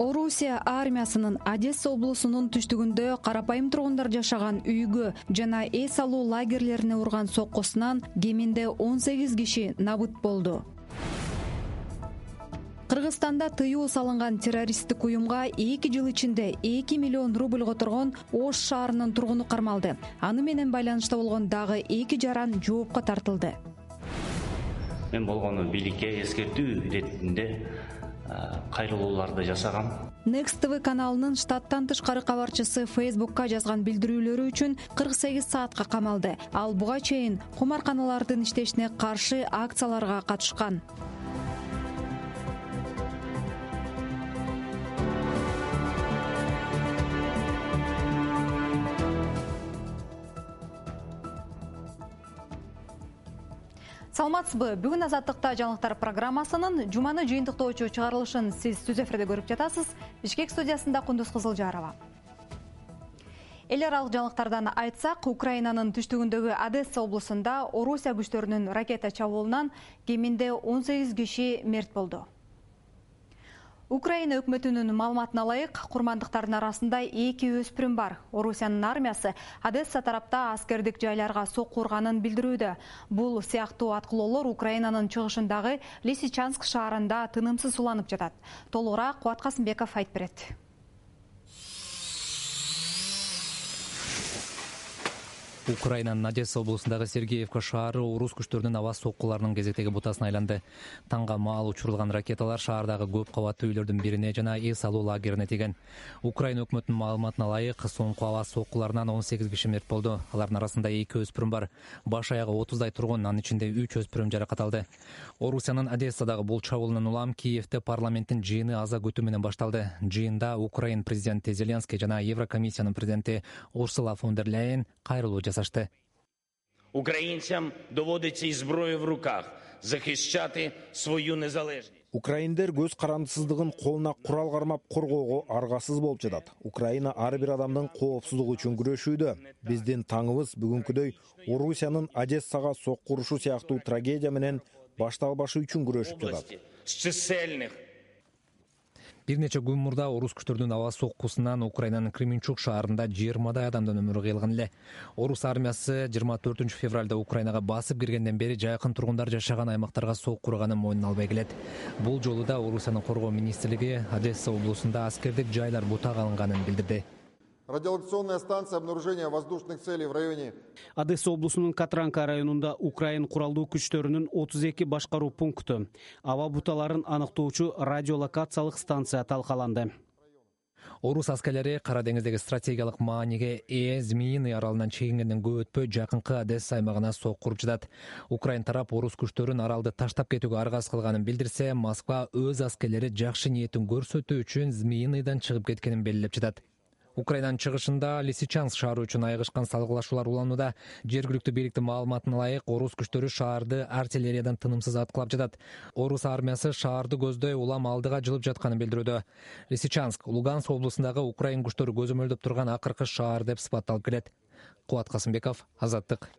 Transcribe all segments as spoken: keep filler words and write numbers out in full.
Орусия армиясынын Одесса облусунун түштүгүндө карапайым тургундар жашаган үйгө жана эс алуу лагерлерине урган соккусунан кеминде он сегиз киши набыт болду. Кыргызстанда тыюу салынган террористтик уюмга эки жыл ичинде эки миллион рубль которгон Ош шаарынын тургуну кармалды. Аны менен байланышта болгон дагы эки жаран жоопко тартылды. Мен болгону бийликке эскертүү иретинде кайрылууларды жасагам. Next T V каналынын штаттан тышкары кабарчысы Facebook'ка жазган билдирүүлөрү үчүн кырк сегиз саатка камалды. Ал буга чейин кумарканалардын иштешине каршы акцияларга катышкан. Саламатсызбы? Бүгүн Азаттыкта жаңылыктар программасынын жуманы жыйынтыктоочу чыгарылышын сиз түз эфирде көрүп жатасыз. Бишкек студиясында Кундуз Кызылжарова. Эл аралык жаңылыктардан айтсак, Украинанын түштүгүндөгү Одесса облусунда Орусия күчтөрүнүн ракета чабуулунан кеминде он сегиз киши мерт болду. Украина өкмөтүнүн маалыматына ылайык, курмандыктардын арасында эки өспүрүм бар. Орусиянын армиясы Одесса тарапта аскердик жайларга сокку урганын билдирүүдө. Бул сыяктуу аткылоолор Украинанын чыгышындагы Лисичанск шаарында тынымсыз уланып жатат. Толугураак Кубат Касымбеков айтып берет. Украинанын Одесса облусундагы Сергеевка шаары орус күчтөрүнүн аба соккуларынын кезектеги бутасына айланды. Таңга маал учурулган ракеталар шаардагы көп кабаттуу үйлөрдүн бирине жана эс алуу лагерине тийген. Украина өкмөтүнүн маалыматына ылайык, соңку аба соккуларынан он сегиз киши мерт болду. Алардын арасында эки өспүрүм бар. Баш аягы отуздай тургун, анын ичинде үч өспүрүм жаракат алды. Орусиянын Одессадагы бул чабуулунан улам Киевде парламенттин жыйыны аза күтүү менен башталды. Жыйында Украин президенти Зеленский жана Еврокомиссиянын президенти Урсула фон дер Ляйен кайрылуу жасашты. Українцям доводиться із зброєю в руках захищати свою незалежність. Украиндер көз карандысыздыгын колуна курал кармап коргоого аргасыз болуп жатат. Украина ар бир адамдын коопсуздугу үчүн күрөшүүдө. Биздин таңыбыз бүгүнкүдөй Орусиянын Одессага сокку урушу сыяктуу трагедия менен башталбашы үчүн күрөшүп жатат. З чисельних Бир нече күн мурда орус күчтөрүнүн аба соккусунан Украинанын Кременчуг шаарында жыйырмадай адамдын өмүрү кыйылган эле. Орус армиясы жыйырма төртүнчү февралда Украинага басып киргенден бери жакын тургундар жашаган аймактарга сокку урганын мойнуна албай келет. Бул жолу да Орусиянын коргоо министрлиги Одесса облусунда аскердик жайлар бутага алынганын билдирди. Радиолокационная станция обнаружения воздушных целей в районе Одесса облусунун Катранка районунда Украин куралдуу күчтөрүнүн отуз эки башкаруу пункту, аба буталарын аныктоочу радиолокациялык станция талкаланды. Орус аскерлери Кара деңиздеги стратегиялык мааниге ээ Змеиный аралынан чегингенден көп өтпөй жакынкы Одесса аймагына сокку уруп жатат. Украин тарап орус күчтөрүн аралды таштап кетүүгө аргасыз кылганын билдирсе, Москва өз аскерлери жакшы ниетин көрсөтүү үчүн Змеиныйдан чыгып кеткенин белгилеп жатат. Украинанын чыгышында Лисичанск шаары үчүн айыгышкан салгылашуулар уланууда. Жергиликтүү бийликтин маалыматына ылайык, орус күчтөрү шаарды артиллериядан тынымсыз аткылап жатат. Орус армиясы шаарды көздөй улам алдыга жылып жатканын билдирүүдө. Лисичанск Луганск облусундагы Украин күчтөрү көзөмөлдөп турган акыркы шаар деп сыпатталып келет. Кубат Касымбеков, Азаттык.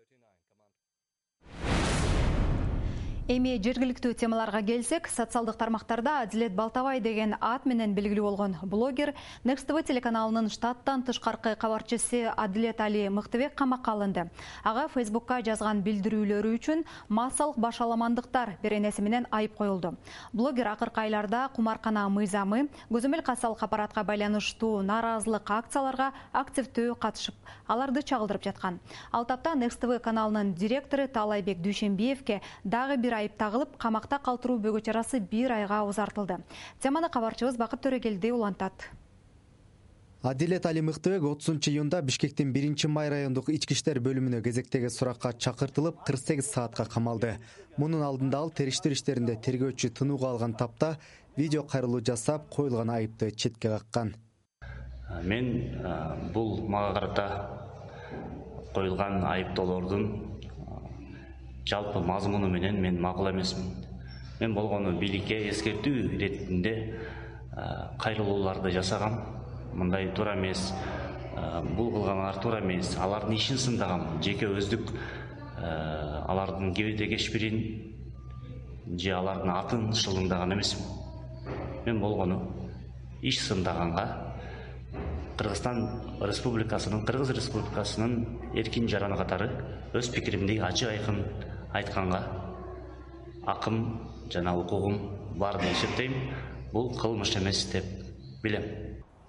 Эми жергиликтүү темаларга келсек, социалдык тармактарда Адилет Балтабай деген ат менен белгилүү болгон блогер Next T V телеканалынын штаттан тышкаркы кабарчысы Адилет Али Мыктыбек камакка алынды. Ага Facebook'ка жазган билдирүүлөрү үчүн массалык башаламандыктар беренеси менен айып коюлду. Блогер акыркы айларда кумаркана мыйзамы, көзөмөл кассалык аппаратка байланыштуу нааразылык акцияларга активдүү катышып, аларды чагылдырып жаткан. Ал тапта Next T V каналынын директору Таалайбек Дүйшенбиевке дагы бир айып тагылып, камакта калтыруу бөгө чарасы бир айга узартылды. Теманы кабарчыбыз Бакыт Төрөгелди улантат. Адилет Али Мыктыбек отузунчу июнда Бишкектин биринчи май райондук ички иштер бөлүмүнө кезектеги суракка чакыртылып, кырк сегиз саатка камалды. Мунун алдында ал териштир иштеринде тергөөчү тынууга алган тапта видео кайрылуу жасап, коюлган айыпты четке каккан. Мен бул мага карата коюлган айыптоолордун жалпы мазмуну менен мен макул эмесмин. Мен болгону бийликке эскертүү иретинде кайрылууларды жасагам. Мындай туура эмес. Бул кылгандар туура эмес. Алардын ишин сындагам. Жеке өздүк алардын кебете кешпирин же алардын атын шылыңдаган эмесмин. Мен болгону иш сындаганга Кыргызстан Республикасынын Кыргыз Республикасынын эркин жараны катары өз пикиримди ачык айкын айтканга акым жана укугум бар деп эсептейм. Бул кылмыш эмес деп билем.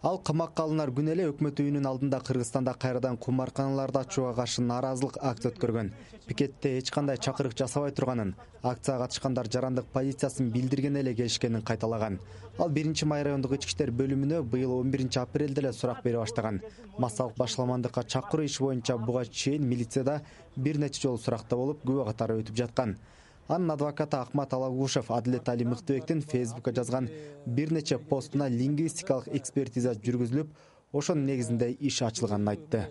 Ал камакка алынар күнү эле өкмөт үйүнүн алдында Кыргызстанда кайрадан кумарканаларды ачууга каршы нааразылык акция өткөргөн. Пикетте эч кандай чакырык жасабай турганын, акцияга катышкандар жарандык позициясын билдирген эле келишкенин кайталаган. Ал биринчи май райондук ички иштер бөлүмүнө быйыл он биринчи апрелде эле сурак бере баштаган. Массалык башаламандыкка чакыруу иши боюнча буга чейин милицияда бир нече жолу суракта болуп, күбө катары өтүп жаткан. Анын адвокаты Акмат Алагушев Адилет Али Мыктыбектин Фейсбукка жазган бир нече постуна лингвистикалык экспертиза жүргүзүлүп, ошонун негизинде иш ачылганын айтты.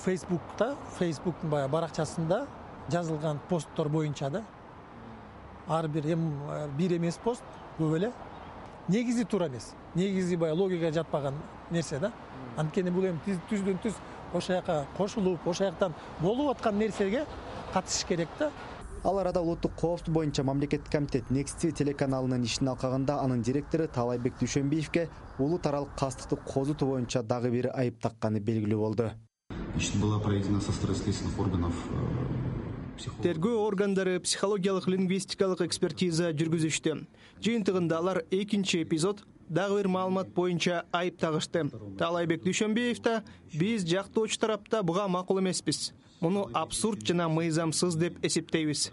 Фейсбукта, Фейсбуктун баягы баракчасында жазылган посттор боюнча да ар бир эм бир эмес пост көп эле негизи туура эмес. Негизи баягы логикага жатпаган нерсе да. Анткени бул эми түздөн түз ошол жака кошулуп, ошол жактан болуп аткан нерсеге катышыш керек да. Ал арада улуттук коопсуздук боюнча мамлекеттик комитет Next ти ви телеканалынын ишин алкаганда анын директору Таалайбек Дүйшөнбиевке улут аралык кастыкты козутуу боюнча дагы бир айып такканы белгилүү болду. Была проведена со стороны следственных органов. Тергөө органдары психологиялык лингвистикалык экспертиза жүргүзүштү. Жыйынтыгында алар экинчи эпизод дагы бир маалымат боюнча айып тагышты. Таалайбек Дүйшөнбиев да биз жактоочу тарапта буга макул эмеспиз. Муну абсурд жана мыйзамсыз деп эсептейбиз.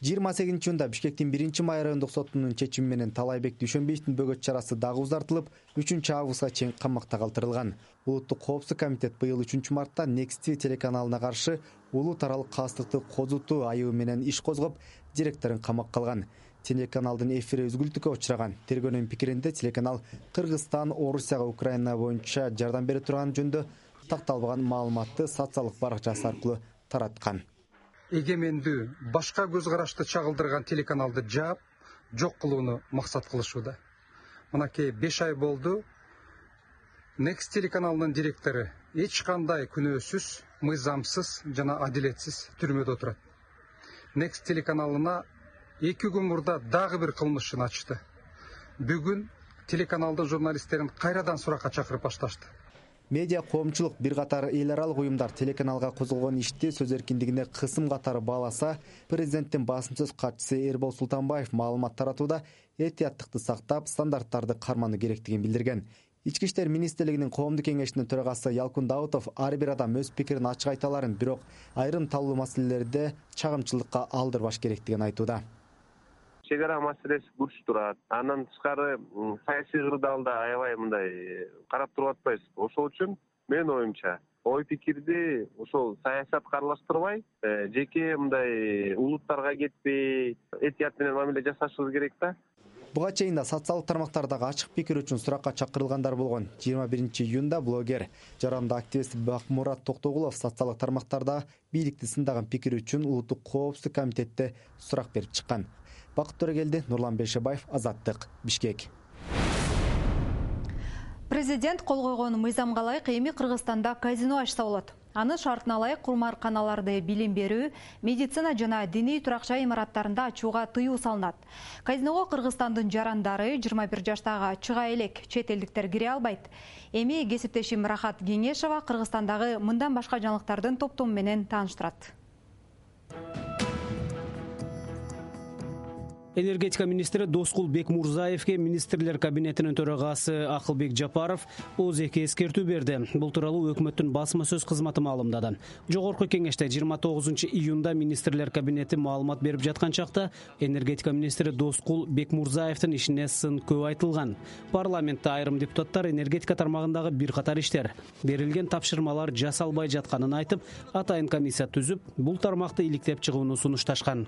жыйырма сегизинчи июнда Бишкектин биринчи май райондук сотунун чечими менен Таалайбек Дүйшөнбиевдин бөгөт чарасы дагы узартылып, үчүнчү августка чейин камакта калтырылган. Улуттук коопсуздук комитет быйыл үчүнчү мартта Next ти ви телеканалына каршы улут аралык кастыкты козутуу айыбы менен иш козгоп, директорун камакка алган. Телеканалдын эфири үзгүлтүккө учураган. Тергөөнүн пикиринде телеканал Кыргызстан, Орусияга, Украина боюнча жардам бере турган жөнүндө такталбаган маалыматты социалдык баракчасы аркылуу тараткан. Эгемендүү, башка көз карашты чагылдырган телеканалды жаап, жок кылууну максат кылышууда. Мынакей беш ай болду. Next телеканалынын директору эч кандай күнөөсүз, мыйзамсыз жана адилетсиз түрмөдө отурат. Next телеканалына эки күн мурда дагы бир кылмышын ачты. Бүгүн телеканалдын журналисттерин кайрадан суракка чакырып башташты. Медиа коомчулук бир катар эл аралык уюмдар телеканалга козголгон ишти сөз эркиндигине кысым катары бааласа, президенттин басым сөз катчысы Эрбол Султанбаев маалымат таратууда этияттыкты сактап, стандарттарды кармануу керектигин билдирген. Ички иштер министрлигинин коомдук кеңешинин төрагасы Ялкун Даутов ар бир адам өз пикирин ачык айта аларын, бирок айрым талуу маселелерде чагымчылыкка алдырбаш керектигин айтууда. Чек ара маселеси күч турат. Андан тышкары саясий кырдаалда аябай мындай карап туруп атпайбыз. Ошол үчүн мен оюмча ой пикирди ошол саясатка аралаштырбай, жеке мындай улуттарга кетпей, этият менен мамиле жасашыбыз керек да. Буга чейин да социалдык тармактардагы ачык пикир үчүн суракка чакырылгандар болгон. жыйырма биринчи июнда блогер, жарандык активист Бакмурат Токтогулов социалдык тармактарда бийликти сындаган пикир үчүн улуттук коопсуздук комитетте сурак берип чыккан. Бакыт Төрөгелди, Нурлан Бейшебаев, Азаттык, Бишкек. Президент кол койгон мыйзамга ылайык эми Кыргызстанда казино ачса болот. Аны шартына ылайык кумарканаларды билим берүү, медицина жана диний туракча имараттарында ачууга тыюу салынат. Казиного Кыргызстандын жарандары жыйырма бир жаштагы чыга элек, чет элдиктер кире албайт. Эми кесиптешим Рахат Кеңешова Кыргызстандагы мындан башка жаңылыктардын топтому менен тааныштырат. Энергетика министри Доскул Бекмурзаевке министрлер кабинетинин төрагасы Акылбек Жапаров оз эки эскертүү берди. Бул тууралуу өкмөттүн басма сөз кызматы маалымдады. Жогорку кеңеште жыйырма тогузунчу июнда министрлер кабинети маалымат берип жаткан чакта энергетика министри Доскул Бекмурзаевдин ишине сын көп айтылган. Парламентте айрым депутаттар энергетика тармагындагы бир катар иштер, берилген тапшырмалар жасалбай жатканын айтып, атайын комиссия түзүп, бул тармакты иликтеп чыгууну сунушташкан.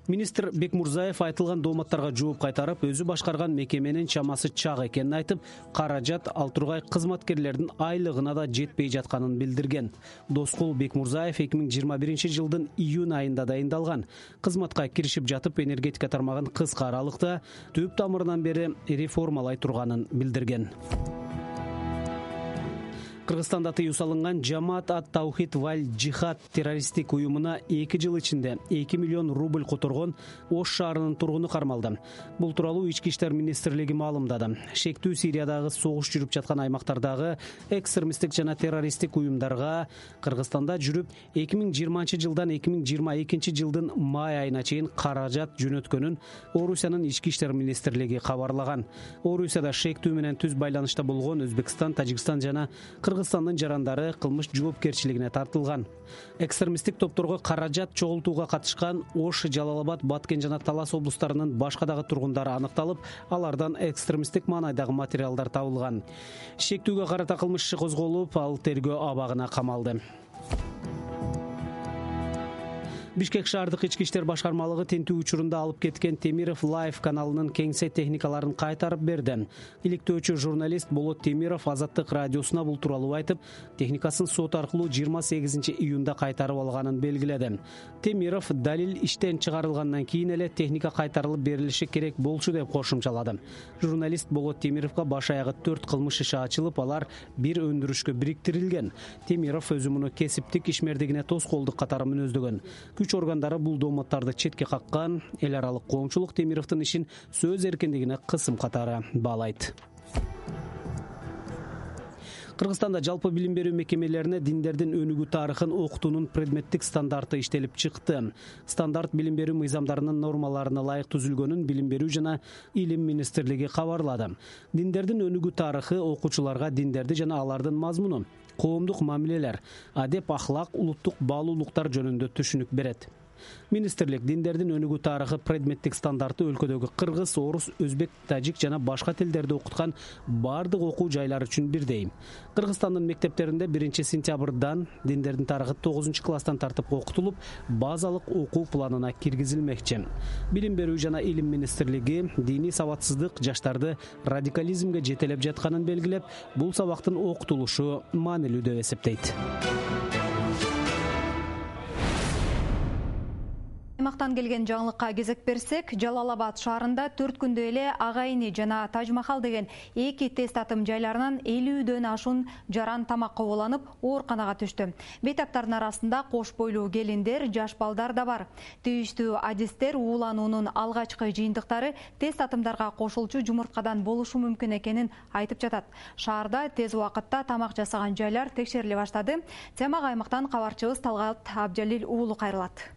Министр Бекмурзаев айтылган дооматтарга жооп кайтарып, өзү башкарган мекеменин чамасы чак экенин айтып, каражат ал тургай кызматкерлердин айлыгына да жетпей жатканын билдирген. Доскул Бекмурзаев эки миң жыйырма биринчи жылдын июнь айында дайындалган. Кызматка киришип жатып, энергетика тармагын кыска аралыкта түп тамырынан бери реформалай турганын билдирген. Кыргызстанда тыюу салынган Жамаат ат-Таухид валь Джихад террористтик уюмуна эки жыл ичинде эки миллион рубль которгон Ош шаарынын тургуну кармалды. Бул тууралуу Ички иштер министрлиги маалымдады. Шектүү Сириядагы согуш жүрүп жаткан аймактардагы экстремисттик жана террористтик уюмдарга Кыргызстанда жүрүп эки миң жыйырманчы жылдан эки миң жыйырма экинчи жылдын май айына чейин каражат жөнөткөнүн Орусиянын Ички иштер министрлиги кабарлаган. Орусияда шектүү менен түз байланышта болгон Өзбекстан, Тажикстан жана Кыргызстандын жарандары кылмыш жоопкерчилигине тартылган. Экстремисттик топторго каражат чогултууга катышкан Ош, Жалал-Абад, Баткен жана Талас облустарынын башка дагы тургундары аныкталып, алардан экстремисттик маанайдагы материалдар табылган. Шектүүгө карата кылмыш иши козголуп, ал тергөө абагына камалды. Бишкек шаардык ички иштер башкармалыгы тинтүү учурунда алып кеткен Темиров Лайв каналынын кеңсе техникаларын кайтарып берди. Иликтөөчү журналист Болот Темиров Азаттык радиосуна бул тууралуу айтып, техникасын сот аркылуу жыйырма сегизинчи июнда кайтарып алганын белгиледи. Темиров далил иштен чыгарылгандан кийин эле техника кайтарылып берилиши керек болчу деп кошумчалады. Журналист Болот Темировго баш аягы төрт кылмыш иши ачылып, алар бир өндүрүшкө бириктирилген. Темиров өзү муну кесиптик ишмердигине тоскоолдук катары мүнөздөгөн. Күч органдары бул дооматтарды четке каккан. Эл аралык коомчулук Темировдун ишин сөз эркиндигине кысым катары баалайт. Кыргызстанда жалпы билим берүү мекемелерине диндердин өнүгүү тарыхын окутуунун предметтик стандарты иштелип чыкты. Стандарт билим берүү мыйзамдарынын нормаларына ылайык түзүлгөнүн Билим берүү жана Илим министрлиги кабарлады. Диндердин өнүгүү тарыхы окуучуларга диндерди жана алардын мазмуну, коомдук мамилелер, адеп, ахлак, улуттук баалуулуктар жөнүндө түшүнүк берет. Министрлик диндердин өнүгүү тарыхы предметтик стандарты өлкөдөгү кыргыз, орус, өзбек, тажик жана башка тилдерди окуткан бардык окуу жайлары үчүн бирдей. Кыргызстандын мектептеринде биринчи сентябрдан диндердин тарыхы тогузунчу класстан тартып окутулуп, базалык окуу планына киргизилмекчи. Билим берүү жана Илим министрлиги диний сабатсыздык жаштарды радикализмге жетелеп жатканын белгилеп, бул сабактын окутулушу маанилүү деп эсептейт. Аймактан келген жаңылыкка кезек берсек, Жалал-Абад шаарында төрт күндө эле Ага Ини жана Таж-Махал деген эки тест атым жайларынан элүүдөн ашуун жаран тамакка ооланып, ооруканага түштү. Бейтаптардын арасында кош бойлуу келиндер, жаш балдар да бар. Тийиштүү адистер уулануунун алгачкы жыйынтыктары тест атымдарга кошулчу жумурткадан болушу мүмкүн экенин айтып жатат. Шаарда тез убакытта тамак жасаган жайлар текшериле баштады. Темага аймактан кабарчыбыз Талгат Абджалил уулу кайрылат.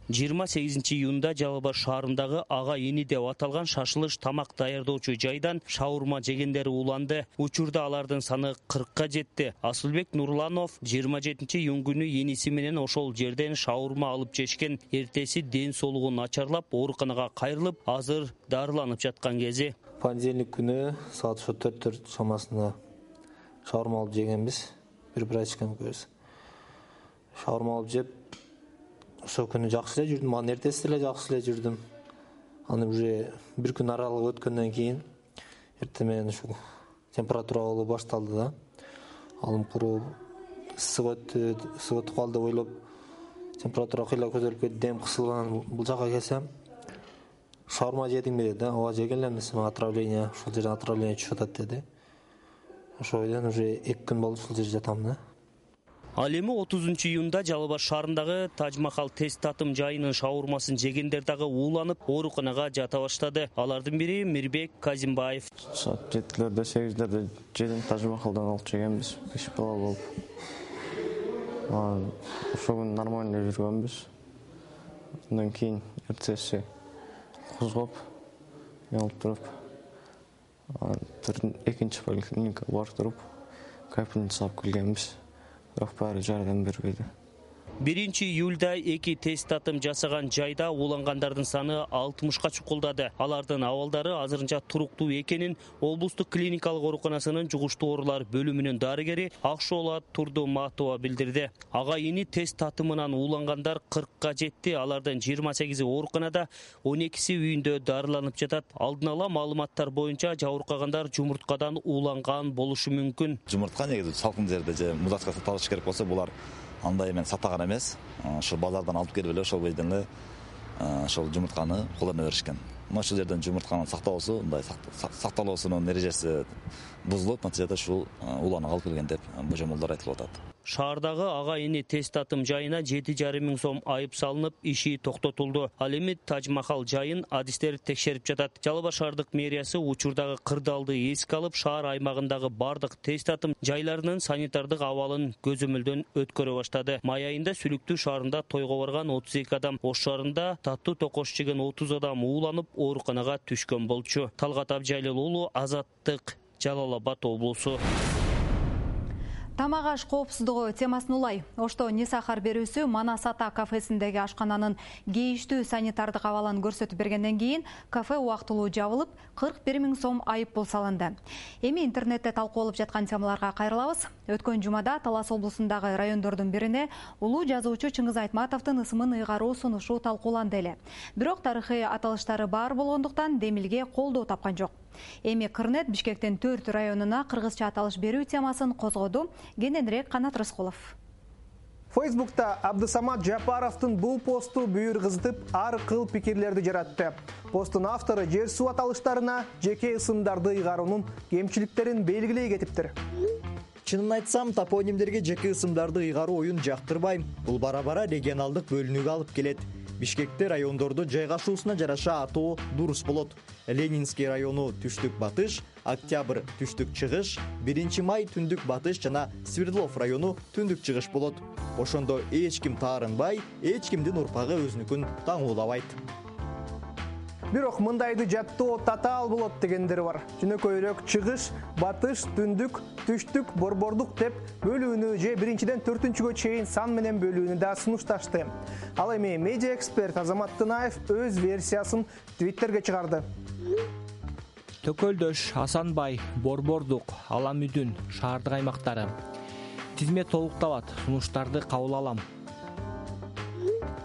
жыйырма сегизинчи июнда Жалал-Абад шаарындагы Ага Ини деп аталган шашылыш тамак даярдоочу жайдан шаурма жегендер ууланды. Учурда алардын саны кыркка жетти. Асылбек Нурланов жыйырма жетинчи июнь күнү эниси менен ошол жерден шаурма алып жешкен. Эртеси ден соолугу начарлап, ооруканага кайрылып, азыр дарыланып жаткан кези. Понедельник күнү саат ошо төрттөр чамасында шаурма алып жегенбиз. Бир врачкам көрсө. Шаурма алып жеп, ошол күнү жакшы эле жүрдүм, анын эртеси эле жакшы эле жүрдүм. Аны уже бир күн аралык өткөндөн кийин эртең менен ушул температура болуу башталды да. Алым куруп, ысык өттү, ысык өтүп калды деп ойлоп, температура кыйла көтөрүлүп кетти, дем кысылган. Бул жака келсем, шаурма жедиңби деди, ооба жеген элемис, отравление, ушул жерден отравление түшүп атат деди. Ошол бойдон уже эки күн болду ушул жерде жатам да. Ал эми отузунчу июнда Жалал-Абад шаарындагы Таж-Махал тест татым жайынын шаурмасын жегендер дагы ууланып, ооруканага жата баштады. Алардын бири Мирбек Казимбаев. Саат жетилерде, сегиздерде жедим, Таж-Махалдан алып жегенбиз, беш бала болуп. Ошол күнү нормально жүргөнбүз. Андан кийин эртеси козгоп, алып туруп, экинчи поликлиникага барып туруп, капельница жасап келгенбиз. Баары жардам бербейди. биринчи июлда эки тест татым жасаган жайда уулангандардын саны алтымышка чукулдады. Алардын абалдары азырынча туруктуу экенин облустук клиникалык ооруканасынын жугуштуу оорулар бөлүмүнүн дарыгери Акшоолат Турдуматова билдирди. Ага Ини тест татымынан уулангандар кыркка жетти. Алардын жыйырма сегизи ооруканада, он экиси үйүндө дарыланып жатат. Алдын ала маалыматтар боюнча жабыркагандар жумурткадан ууланган болушу мүмкүн. Жумуртка негизи салкын жерде же музатка сакталышы керек болсо, булар андай эмен сатаган эмес. Ошол базардан алып келип эле ошол бойдон эле ошол жумуртканы колдоно беришкен. мына ушул жерден жумуртканын сактоосу, мындай сакталуусунун эрежеси бузулуп, натыйжада ушул уланып алып келген деп божомолдор айтылып атат. Шаардагы ага эни тест татым жайына жети жарым миң сом айып салынып, иши токтотулду. Ал эми Тадж-Махал жайын адистер текшерип жатат. Жалал Абад шаардык мэриясы учурдагы кырдаалды эске алып, шаар аймагындагы бардык тест татым жайларынын санитардык абалын көзөмөлдөн өткөрө баштады. Май айында Сүлүктүү шаарында тойго барган отуз эки адам, Ош шаарында таттуу токош жеген отуз адам ууланып, ооруканага түшкөн болчу. Талгат Абжайлыл уулу, Азаттык, Жалал Абад облусу. Тамак аш коопсуздугу темасын улай. Ошто Не сахар берүүсү Манас Ата кафесиндеги ашкананын кейиштүү санитардык абалын көрсөтүп бергенден кийин кафе убактылуу жабылып, кырк бир миң сом айып пул салынды. Эми интернетте талкууланып жаткан темаларга кайрылабыз. Өткөн жумада Талас облусундагы райондордун бирине улуу жазуучу Чыңгыз Айтматовдун ысымын ыйгаруу сунушу талкууланды эле. Бирок тарыхый аталыштары бар болгондуктан демилге колдоо тапкан жок. Эми Кырнет Бишкектин төрт районуна кыргызча аталыш берүү темасын козгоду. Кененирээк Канат Рыскулов. Фейсбукта Абдысамат Жапаровдун бул посту бүйүр кызытып, ар кыл пикирлерди жаратты. Посттун автору жер суу аталыштарына жеке ысымдарды ыйгаруунун кемчиликтерин белгилей кетиптир. Чынын айтсам, топонимдерге жеке ысымдарды ыйгаруу оюн жактырбайм. Бул бара-бара регионалдык бөлүнүүгө алып келет. Бишкекте райондорду жайгашуусуна жараша атоо дурус болот. Ленинский району түштүк батыш, Октябрь түштүк чыгыш, биринчи май түндүк батыш жана Свердлов району түндүк чыгыш болот. Ошондо эч ким таарынбай, эч кимдин урпагы өзүнүкүн таңуулабайт. Бирок мындайды жаттоо татаал болот дегендер бар. Жөнөкөйрөөк чыгыш, батыш, түндүк, түштүк, борбордук деп бөлүүнү же биринчиден төртүнчүгө чейин сан менен бөлүүнү да сунушташты. Ал эми медиа эксперт Азамат Тынаев өз версиясын Твиттерге чыгарды. Төкөлдөш, Асанбай, Борбордук, Аламүдүн шаардык аймактары. Тизме толукталат, сунуштарды кабыл алам.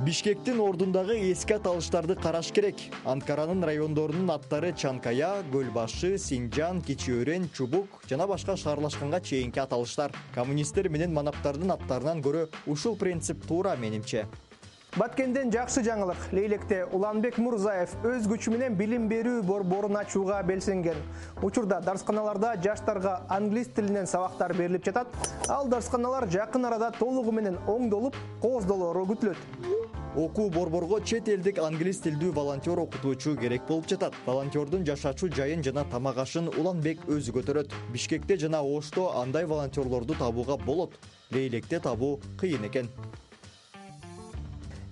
Бишкектин ордундагы эски аталыштарды караш керек. Анкаранын райондорунун аттары Чанкая, Көлбашы, Синжан, Кичи Өрен, Чубук жана башка шаарлашканга чейинки аталыштар. Коммунисттер менен манаптардын аттарынан көрө ушул принцип туура менимче. Баткенден жакшы жаңылык. Лейлекте Уланбек Мурзаев өз күчү менен билим берүү борборун ачууга белсенген. Учурда дарсканаларда жаштарга англис тилинен сабактар берилип жатат. Ал дарсканалар жакын арада толугу менен оңдолуп, кооздолору күтүлөт. Окуу борборго чет элдик англис тилдүү волонтер окутуучу керек болуп жатат. Волонтердун жашачу жайын жана тамак ашын Уланбек өзү көтөрөт. Бишкекте жана Ошто андай волонтерлорду табууга болот. Лейлекте табуу кыйын экен.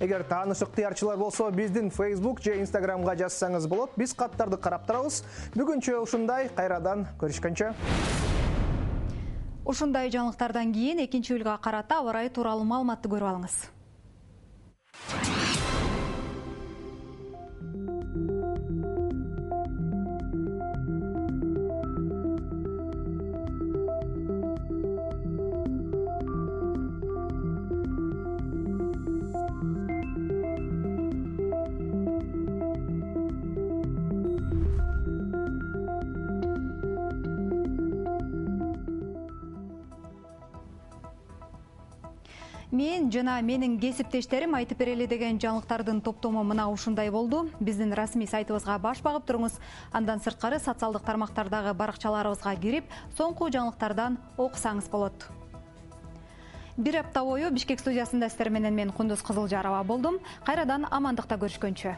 Эгер тааныш ыктыярчылар болсо, биздин Facebook же Instagramга жазсаңыз болот. Биз каттарды карап турабыз. Бүгүнчө ушундай, кайрадан көрүшкөнчө. Ушундай жаңылыктардан кийин экинчи июлга карата аба ырайы тууралуу маалыматты көрүп алыңыз. Мен жана менин кесиптештерим айтып берели деген жаңылыктардын топтому мына ушундай болду. Биздин расмий сайтыбызга баш багып туруңуз. Андан сырткары социалдык тармактардагы баракчаларыбызга кирип, соңку жаңылыктардан окусаңыз болот. Бир апта бою Бишкек студиясында сиздер менен мен Кундуз Кызылжарова болдум. Кайрадан амандыкта көрүшкөнчө.